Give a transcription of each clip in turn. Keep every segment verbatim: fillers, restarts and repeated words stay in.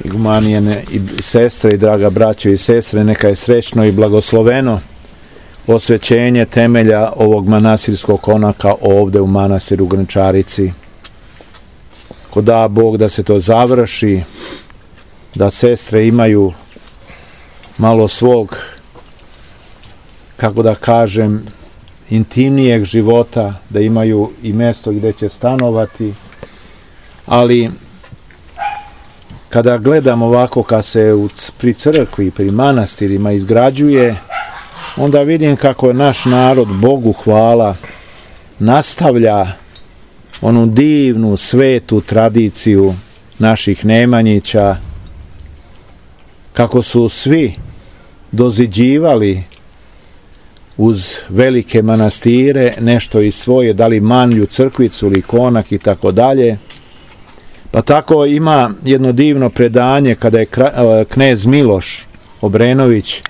Igumanijene i sestre i draga braćo i sestre, neka je srećno i blagosloveno osvećenje temelja ovog manastirskog konaka ovde u manastiru Grančarici. Ko da Bog da se to završi, da sestre imaju malo svog, kako da kažem, intimnijeg života, da imaju i mesto gde će stanovati, ali kada gledam ovako kad se u, pri crkvi, pri manastirima izgrađuje, onda vidim kako je naš narod, Bogu hvala, nastavlja onu divnu, svetu tradiciju naših Nemanjića, kako su svi doziđivali uz velike manastire nešto iz svoje, da li manlju, crkvicu ili konak i tako dalje. Pa tako ima jedno divno predanje kada je knez Miloš Obrenović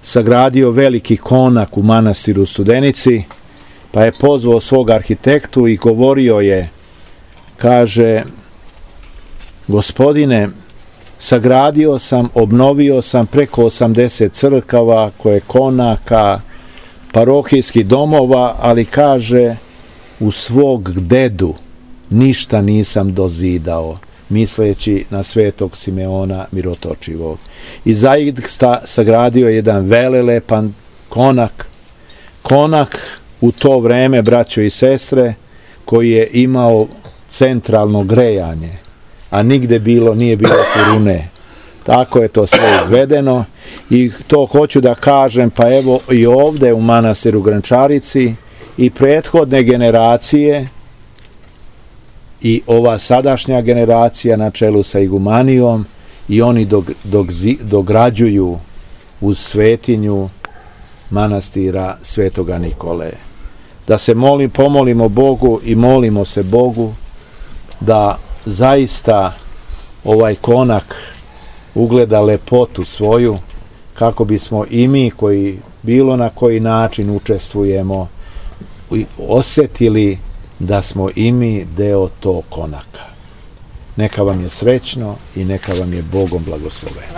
sagradio veliki konak u manastiru Studenici, pa je pozvao svog arhitektu i govorio je, kaže, gospodine, sagradio sam, obnovio sam preko osamdeset crkava, koje konaka, parohijskih domova, ali kaže, u svog dedu ništa nisam dozidao, misleći na svetog Simeona Mirotočivog. I zaista sagradio jedan velelepan konak, konak u to vreme, braćo i sestre, koji je imao centralno grejanje, a nigde bilo, nije bilo furune. Tako je to sve izvedeno i to hoću da kažem, pa evo i ovde u manastiru Grančarici i prethodne generacije i ova sadašnja generacija na čelu sa igumanijom i oni dog, dog, dograđuju uz svetinju manastira Svetoga Nikole. Da se molim, pomolimo Bogu i molimo se Bogu da zaista ovaj konak ugleda lepotu svoju, kako bismo i mi koji bilo na koji način učestvujemo osetili da smo i mi deo tog konaka. Neka vam je srećno i neka vam je Bogom blagosloveno.